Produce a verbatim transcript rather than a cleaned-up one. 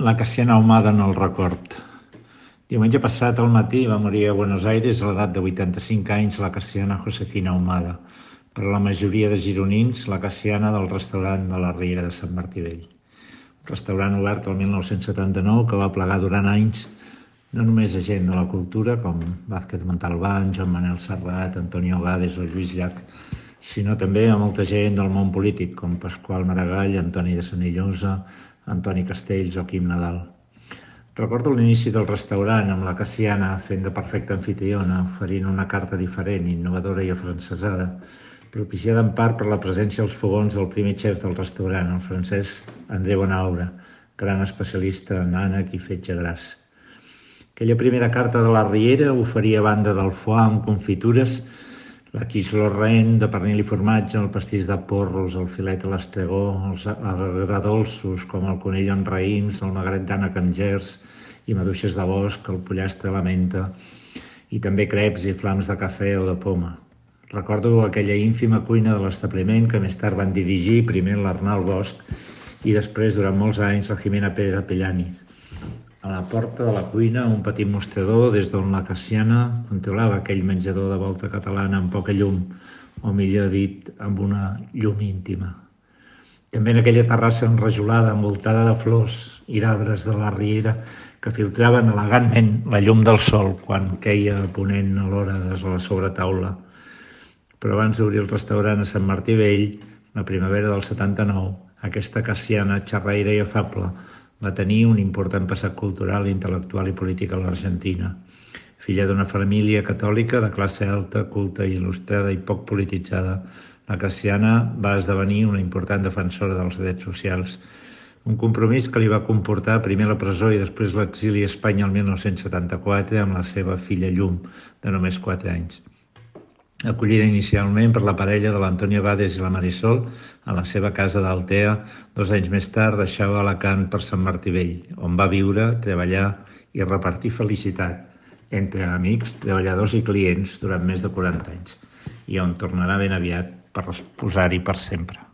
La Cassiana Ahumada en el record. Diumenge passat al matí va morir a Buenos Aires a l'edat de vuitanta-cinc anys la Cassiana Josefina Ahumada, per a la majoria de gironins la Cassiana del restaurant de la Riera de Sant Martí Vell. Un restaurant obert el mil nou-cents setanta-nou que va plegar durant anys no només a gent de la cultura com Vázquez Montalbán, Joan Manel Serrat, Antonio Gades o Lluís Llach, sinó també a molta gent del món polític com Pasqual Maragall, Antoni de Senillosa, Antoni Castells o Quim Nadal. Recordo l'inici del restaurant amb la Cassiana fent de perfecta anfitriona, oferint una carta diferent, innovadora i afrancesada, propiciada en part per la presència als fogons del primer xef del restaurant, el francès André Bonaura, gran especialista en ànec i fetge gras. Aquella primera carta de la Riera oferia, a banda del foie amb confitures, la quiche lorraine de pernil i formatge, el pastís de porros, el filet a l'estegó, els agradolços com el conill en raïms, el magret d'ànec amb gers i maduixes de bosc, el pollastre a la menta i també creps i flams de cafè o de poma. Recordo aquella ínfima cuina de l'establiment que més tard van dirigir primer l'Arnal Bosch i després, durant molts anys, la Jimena Pérez Pellani. A la porta de la cuina, un petit mostrador des d'on la Cassiana controlava aquell menjador de volta catalana amb poca llum, o millor dit, amb una llum íntima. També en aquella terrassa enrajolada, envoltada de flors i d'arbres de la Riera que filtraven elegantment la llum del sol quan queia a ponent a l'hora de la sobretaula. Però abans d'obrir el restaurant a Sant Martí Vell, la primavera del setanta-nou, aquesta Cassiana xerraire i afable va tenir un important passat cultural, intel·lectual i polític a l'Argentina. Filla d'una família catòlica de classe alta, culta i il·lustrada i poc polititzada, la Cassiana va esdevenir una important defensora dels drets socials, un compromís que li va comportar primer la presó i després l'exili a Espanya el mil nou-cents setanta-quatre amb la seva filla Llum, de només quatre anys. Acollida inicialment per la parella de l'Antonio Gades i la Marisol a la seva casa d'Altea, dos anys més tard deixava Alacant per Sant Martí Vell, on va viure, treballar i repartir felicitat entre amics, treballadors i clients durant més de quaranta anys, i on tornarà ben aviat per posar-hi per sempre.